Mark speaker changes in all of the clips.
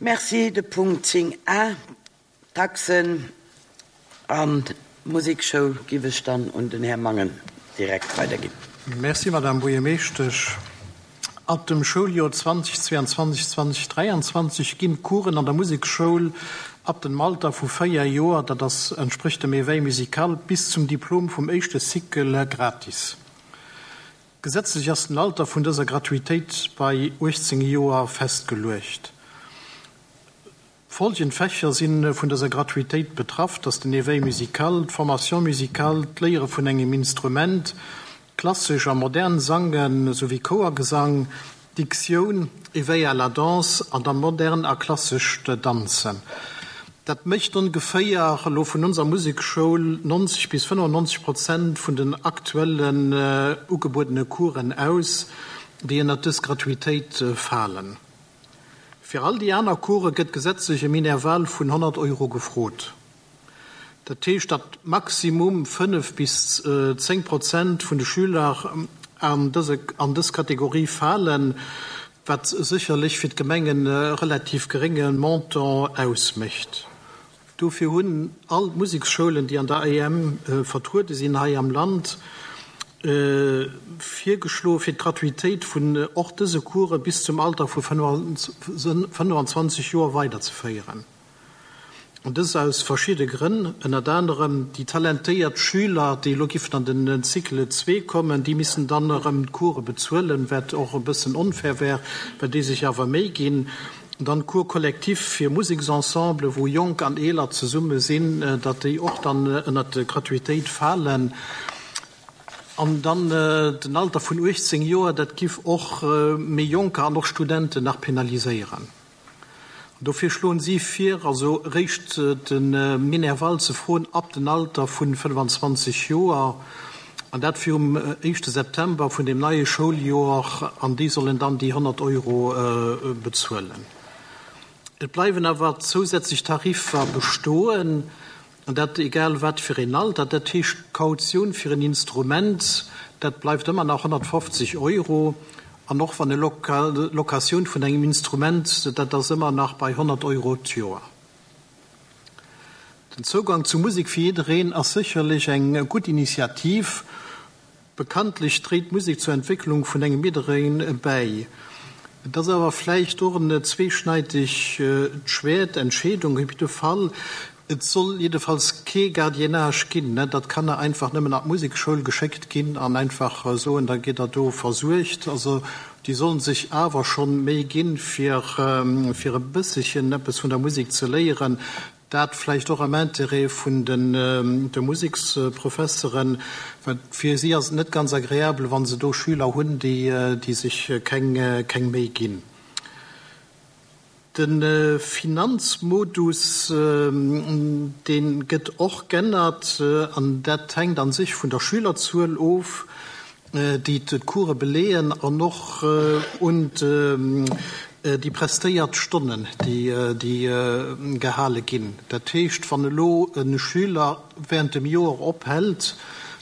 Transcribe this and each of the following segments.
Speaker 1: Merci. De Punkt 10 a, d'Taxen an d'Musekschoul, giff ech dann un den Här Mangen direkt weiderginn.
Speaker 2: Merci, Madame Buergermeeschtesch. Ab dem Schouljoer 2022, 2023 ginn d'Coursen an der Musekschoul ab dem Alter vu 4 Joer, dat ass entsprécht dem Éveil musical, bis zum Diplom vum éischte Cycle gratis. Gesetzlech ass den Alter vun dëser Gratuitéit bei 18 Joer festgeluecht. Folgend Fächer si vun dëser Gratuitéit betraff, dat ass den Éveil musical, d'Formation musicale, d'Léiere vun engem Instrument, klassesch a modern Sange souwéi Chouergesang, Diktioun, Éveil à la danse an da modern a klassescht Danzen. Dat mécht ongeféier elo vun onser Musekschoul 90 bis 95 Prozent vun den aktuellen ugebuedene Coursen aus, déi ënnert dës Gratuitéit falen. Fir all déi aner Course gëtt gesetzlech e Minerval vun 100 Euro gefrot. Dat heescht, datt maximum 5 bis 10 Prozent vun de Schüler an dës Kategorie falen, wat sécherlech fir d'Gemeng e relativ gerénge Montant ausmécht. Dofir hunn all d'Museksschoulen, déi an der AEM vertruede sinn hei am Land, virgeschloe fir d'Gratuitéit vun och dëse Course bis zum Alter vu 25 Joer weiderzeféieren. An dëst aus verschidde Grënn, ënnert anerem déi talentéiert Schüler, déi elo giffen an den Cycle zwee kommen, déi missten dann erëm d'Course bezuelen, wat och e bëssen onfair wär, well déi sech awer Méi ginn. Dann Cours collectif fir Museksensemble, wou Jonk an Eeler zesumme sinn, datt déi och dann ënnert d'Gratuitéit falen. An dann den Alter vun 18 Joer, dat giff och méi Jonker an och Studenten nach penaliséieren. Dofir schloen si vir, also eréischt de Minerval ze froen ab den Alter vun 25 Joer, an dat virum éischte September vun dem neie Schouljoer, an déi sollen dann déi 100 Euro bezuelen. Et bleiwen awer zousätzlech Tariffer bestoen, an dat egal wat fir een Alter. Dat heescht, d'Kautioun fir en Instrument, dat bleift ëmmer nach 150 Euro, an och wann e Locatioun vun engem Instrument, dat ass ëmmer nach bei 100 Euro d'Joer. Den Zougang zu Musek fir jiddereen ass sécherlech eng gutt Initiativ. Bekanntlech dréit d'Musek zur Entwécklung vun engem jiddereen bäi. Et ass awer vläicht och en zweeschneidegt Schwäert, Entscheedung op jidde Fall. Et soll jiddefalls kee Gardiennage ginn, datt Kanner einfach nëmmen an d'Musekschoul geschéckt ginn an einfach soen, da gitt der do versuergt. Also déi sollen sech awer schonn Méi ginn, fir fir e bësselchen eppes vun der Musek ze léieren. Dat vläicht och am Intérêt vun de Museksprofesseren, well fir si ass et net ganz agreabel, wa se do Schüler hunn, déi sech keng Méi ginn. De Finanzmodus, dee gëtt och g'ännert, an dat hänkt a sech vun der Schülerzuel of, déi d'Course beleeën, an och un déi prestéiert Stonnen, déi gehale ginn. Dat heescht, wann elo e Schüler während dem Joer ophält,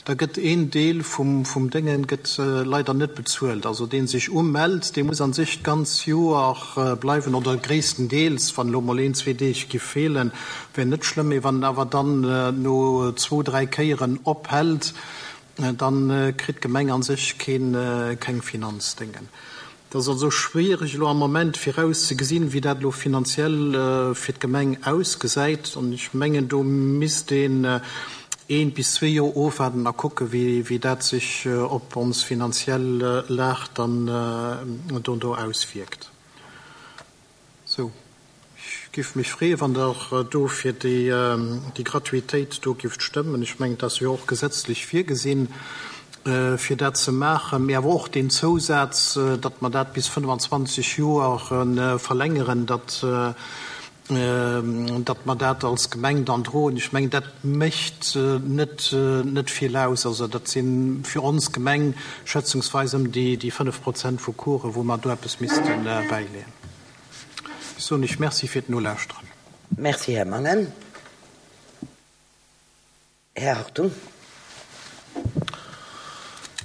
Speaker 2: da gëtt een Deel vum Déngen gëtt leider net bezuelt. Also deen sech umellt, dee muss an sech d'ganz Joer bleiwen oder gréisstendeels, wann elo mol een, zwee Deeg giff feelen, wär net schlëmm, mee wann en awer dann no zwou, dräi Kéieren ophält, dann kritt d'Gemeng an sech keen, keng Finanzdéngen. Et ass also schwierig elo am Moment virauszegesinn, wéi dat elo finanziell fir d'Gemeng ausgesäit. An ech mengen, do misst een eent bis zwee Joer ofwaarden a kucken, wéi dat sech op ons finanziell Lag dann dono auswierkt. Sou, ech giff mech freeën, wann Der do fir déi Gratuitéit do gifft stëmmen. Ech mengen, et ass jo och gesetzlech virgesinn, fir dat ze maachen, mee awer och deen Zousaz, datt mer dat bis 25 Joer verlängeren, datt, datt mer dat als Gemeng dann droen. Ech mengen, dat mécht net, net vill aus. Also dat si fir ons Gemeng schätzungsweis ëm déi 5 Prozent vu Coursen, wou mer do eppes misste bäileeën. Ech soen Iech Merci fir d'Nolauschteren.
Speaker 1: Merci, Här Mangen. Här Hartung.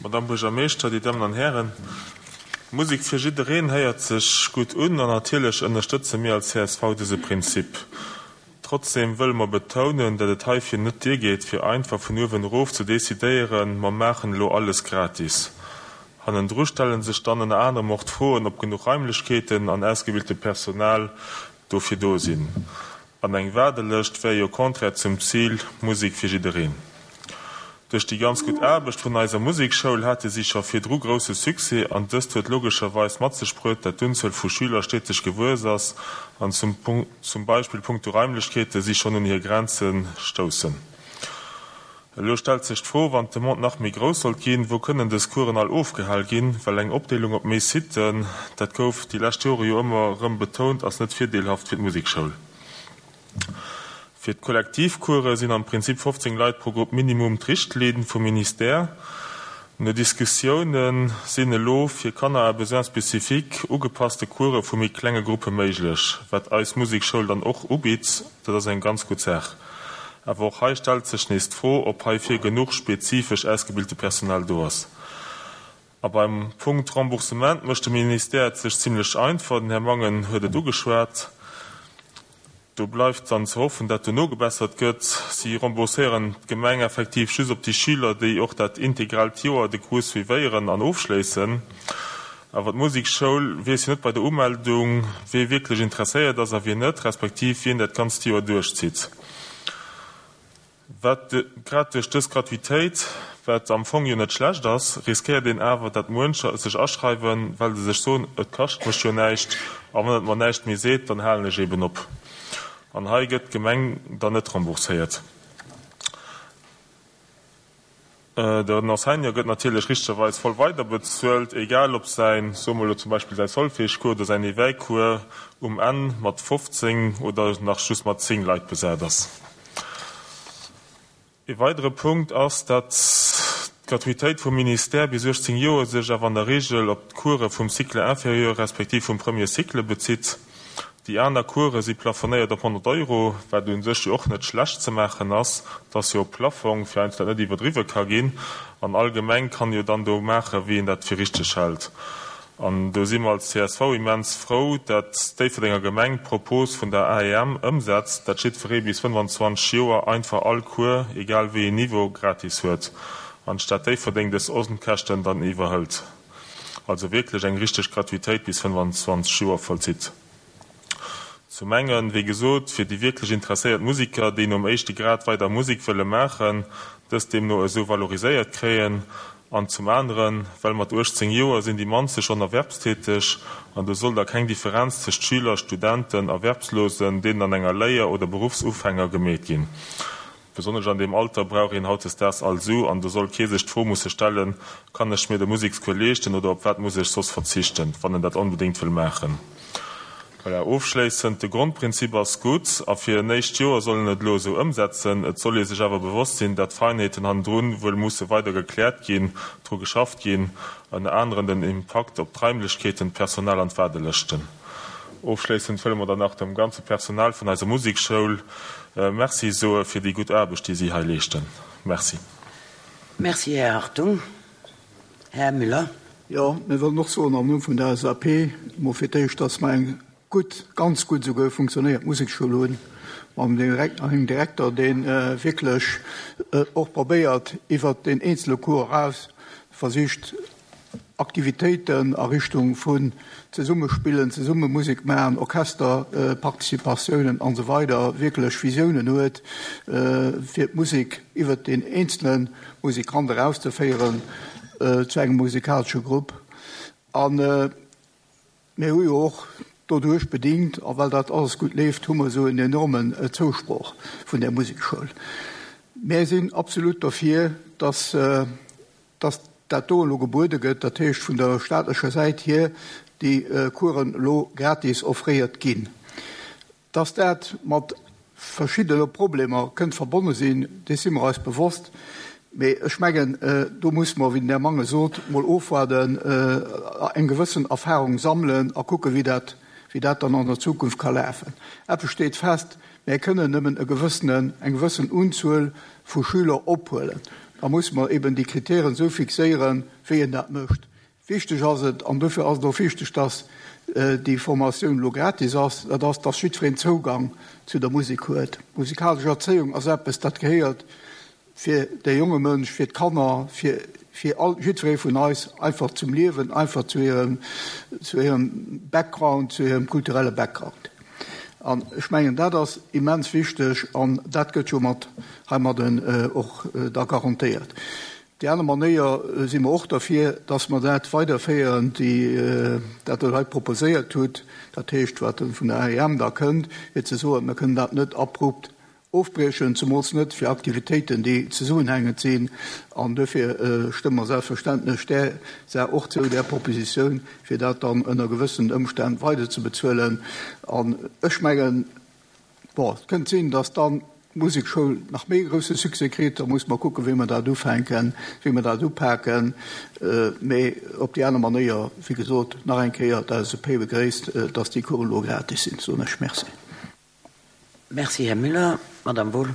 Speaker 3: Madame Buergermeeschter, Dir Dammen an Hären. Musek fir jiddereen héiert sech gutt un an natierlech ënnerstëtze mir als csv dëse Prinzip. Trotzdem wëlle mer betounen, dat et heifir net duergeet, fir einfach vun uewen erof ze decidéieren, mer maachen elo alles gratis. Hannendru stelle sech dann ënner anerem och d'Froen, ob genuch Raimlechkeeten an ausgebilte Personal dofir do sinn. An eng Waardelëscht wär jo contraire zum Zil Musek fir jiddereen. Duerch déi ganz gutt Aarbecht vun eiser Musekschoul hate si scho virdru grousse Succès an dëst huet logescherweis mat sech bruet, dat d'Unzuel vu Schüler steteg gewuess ass an zum Beispill punkto Raimlechkeete si schonn un hir Grenze stoussen. Elo stellt sech d'Fro, wann d'Demande nach méi grouss sollt ginn, wou kënnen dës Coursen all ofgehal ginn? Well eng Opdeelung op méi Siten, dat gouf déi lescht Jore jo ëmmer erëm betount, ass net virdeelhaft fir d'Musekschoul. Fir d'Kollektivcourse sinn am Prinzip 15 Leit pro Grupp minimum d'Richtlinn vum Ministère. No Diskussioune sinn elo fir Kanner à besoins spécifiques ugepasste Course vu méi klenge Gruppe méiglech, wat eis Musekschoul dann och ubitt. Dat ass eng ganz gutt Saach. Awer och hei stellt sech nees d'Fro, ob heifir genuch spezifesch ausgebilte Personal do ass. A beim Punkt Remboursement mécht de Ministère et sech zimlech einfach, den Här Mangen huet et ugeschwat. Do bleift dann ze hoffen, dat do nogebessert gëtt. Si rembourséieren d'Gemeng effektiv just op déi Schüler, déi och dat integraalt Joer de Cours suivéieren an ofschléissen. Awer d'Musekschoul weess jo net bei der Umeldung, wee wierklech interesséiert ass a wien net, respektiv wien dat ganzt Joer duerchzitt. Wat grad duerch dës Gratuitéit, wat am Fong jo net schlecht ass, riskéiert een awer, dat muencher sech aschreiwen, well se sech soen, et kascht mech jo näischt a wann et mer näischt méi seet, dann halen ech eben op. An hei gëtt d'Gemeng dann net rembourséiert. Den Enseignant gëtt natierlech richtegerweis voll weiderbezuelt, egal ob säin, soe mer elo zum Beispill, säi Solfège-Cours oder säin Éveil-Cours um Enn mat 15 oder nach just mat 10 Leit besat ass. Ee weidere Punkt ass, datt d'Gratuitéit vum Ministère bis 18 Joer sech awer an der Regel op d'Course vum Cycle inférieur respektiv vum Premier Cycle bezitt. Déi aner Course si plafonéiert op 100 Euro, wat u sech jo och net schlecht ze maachen ass. Et ass jo e Plaffong, fir eins dat net iwwerdriwwe ka ginn. An all Gemeng kann jo dann do maachen, wéi een dat fir richteg hält. An do si mer als csv immens frou, dat d'Déifferdenger Gemeng d'Propos vun der AEM ëmsetzt, dat jiddweree bis 25 Joer einfach all Cours, egal wéi een Niveau, gratis huet an d'Stad Déifferdeng dës Onkäschten dann iwwerhëlt. also wierklech eng richteg Gratuitéit bis 25 Joer vollzitt. Zum engen, wéi gesot, fir déi wierklech interesséiert Musiker, déi nom éischte Grad weider Musek wëlle maachen, dës deemno esou valoriséiert kréien, an zum aneren, well mat 18 Joer sinn déi mannste schonn erwerbstäteg an do soll da keng Differenz tëscht Schüler, Studenten, Erwerbslosen, deenen an enger Léier oder Beruffsufänger gemeet ginn. Besonnesch an deem Alter brauch een hautdesdaags all Su an do soll kee sech d'Fro musse stellen, Kann ech mir de Musekscours leeschten oder op wat muss ech soss verzichten, wann en dat onbedéngt wëll maachen? Voilà, ofschléissend, de Grondprinzip ass gutt a fir en éischt Joer soll en et elo esou ëmsetzen. Et soll ee sech awer bewosst sinn, dat Feinheeten hannendrun wuel musse weider gekläert ginn, dru geschafft ginn, ënner aneren den Impakt op d'Raimlechkeeten, d'Personal an d'Waardelëschten. Ofschléissend wëlle mer dann nach dem ganze Personal vun eiser Musekschoul Merci soe fir déi gutt Aarbecht, déi si hei leeschten. Merci.
Speaker 1: Merci, Här Hartung. Här Müller.
Speaker 4: Jo, mir wëllen och soen am Numm vun der LSAP emol fir d'éischt, dass mer eng gutt, ganz gutt esouguer funktionéierend Musekschoul hunn, mam engem Direkter, dee wierklech och probéiert, iwwert deen eenzele Cours eraus versicht, Aktivitéiten a Richtung vun zesumme spillen, zesumme Musek maachen, Orchesterparticipatiounen an esou weider wierklech Visiounen huet, fir d'Musek iwwert deen eenzele Musikant erauszeféieren zu engem musikalesche Grupp. A mir hu jo och doduerch bedingt, a well dat alles gutt leeft, hu mer esou en enormen Zousproch vun där Musekschoul. Mir sinn absolut dofir, dass dass dat do elo gebuede gëtt, dat heescht vun der staatlecher Säit hier déi Coursen elo gratis offréiert ginn. Dass dat mat verschiddene Problemer kënnt verbonne sinn, dees si mer eis bewosst, mee ech mengen, do muss mer, wéi den Här Mangen sot, mol ofwaarden, eng gewëssen Erfahrung sammelen a kucken, wéi dat, wéi dat dann an der Zukunft ka lafen. Eppes steet fest, Mär kënnen nëmmen e gewëssenen, eng gewëssen Unzuel vu Schüler ophuelen. Da musse mer eben déi Kritären esou fixéieren, wéi een dat mécht. Wichteg ass et, an dofir ass et och wichteg, dass déi Formatioun elo gratis ass, dat ass, dass jiddwereen Zougang zu der Musek huet. Musikalesch Erzéiung ass eppes, dat gehéiert fir de jonge Mënsch, fir d'Kanner, fir fir all jiddweree vun eis einfach zum Liewen, einfach zu hirem zu hirem Background, zu hirem kulturelle Background. An ech mengen, dat ass immens wichteg an dat gëtt jo mat heimadden och da garantéiert. Déi aner Manéier si mer och derfir, dass mer dat weiderféieren, déi dat Der hei proposéiert hutt, dat heescht, wat vun der AEM da kënnt, fir ze soen, mir kënnen dat net abrupt ofbriechen, zemools net fir Aktivitéiten, déi zesummenhängend sinn. An duerfir stëmme mer selbstverständlech där Saach och zou, där Propositioun, fir dat dann ënner gewëssenen Ëmstänn weiderzebezuelen. An ech mengen, Bon, et kënnt sinn, datt dann d'Musekschoul nach méi e grousse Succès kritt. Da musse mer kucken, wéi mer dat ufänken, wéi mer dat upaken. Mee op déi aner Manéier, wéi gesot, nach eng Kéier, d'LSAP begréisst, datt déi Coursen elo gratis sinn, soen ech Merci.
Speaker 1: Merci, Här Müller. Madame Wohl.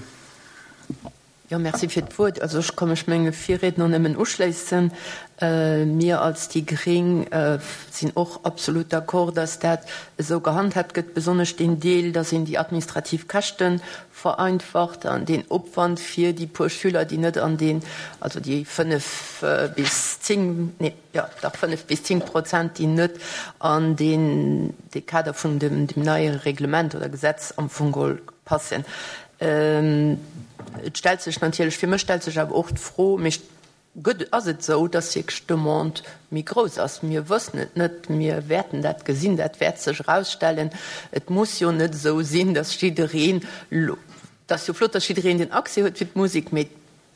Speaker 5: Jo, merci fir d'Wuert. Also ech ka mech menge Virriedner nëmmen uschléissen. Mir als déi gréng sinn och absolut d'accord, dass dat esou gehandhaabt gëtt, besonnesch deen Deel, dass een déi administrativ Käschte vereinfacht an deen Opwand fir déi puer Schüler, déi net an deen, also déi 5 bis 10, nee, jo dach 5 bis 10 Prozent, déi net an deen, dee Kader vun dem, dem neie Reglement oder Gesetz am Fong geholl passen. Et stellt sech natierlech, fir mech stellt sech awer och d'Fro, mee gëtt, ass et esou, dass wierklech d'Demande méi grouss ass? Mir wëssen et net, mir wäerten dat gesinn, dat wäert sech erausstellen. Et muss jo net esou sinn, dass jiddereen elo, et ass jo flott, dass jiddereen den Accès huet fir d'Musek, mee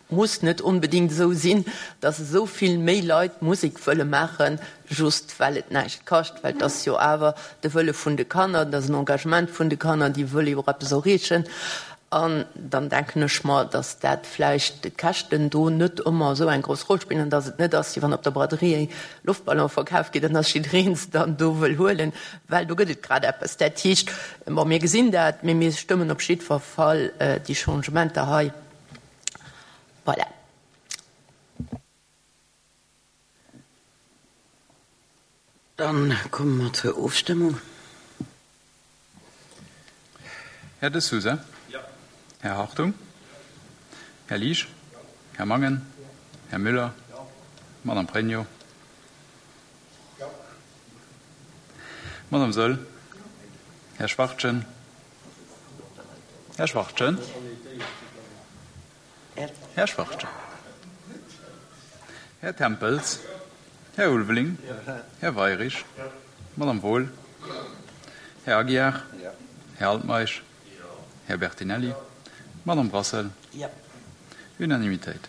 Speaker 5: Muss net onbedingt esou sinn, dass esou vill méi Leit Musek wëlle maachen, just well et näischt kascht, well et ass jo awer de Wëlle vun de Kanner, et ass en Engagement vun de Kanner, déi wëlle jo och eppes erreechen. An dann denken ech mer, dass dat vläicht d'Käschten do net ëmmer esou eng grouss Roll spillen an dass et net ass, wéi wann op der Braderie Loftballon verkaf ginn an dass jiddereen se dann do wëll huelen, well do gëtt et grad eppes. Dat heescht, bon, mir gesinn dat, mee mir stëmmen op jiddwer Fall déi Changementer hei. Voilà.
Speaker 1: Dann komme mer zur Ofstëmmung.
Speaker 6: Här De Sousa?
Speaker 3: Jo.
Speaker 6: Här Hartung? Här Liesch? Här Mangen? Här Müller? Madame Pregno? Madame Saeul? Här Schwachtgen? Här Schwachtgen. Här Schwachtgen. Här Tempels. Här Ulveling. Här Weirich. Madame Wohl. Här Aguiar. Här Altmeisch. Här Bertinelli. Madame Brassel. Unanimitéit.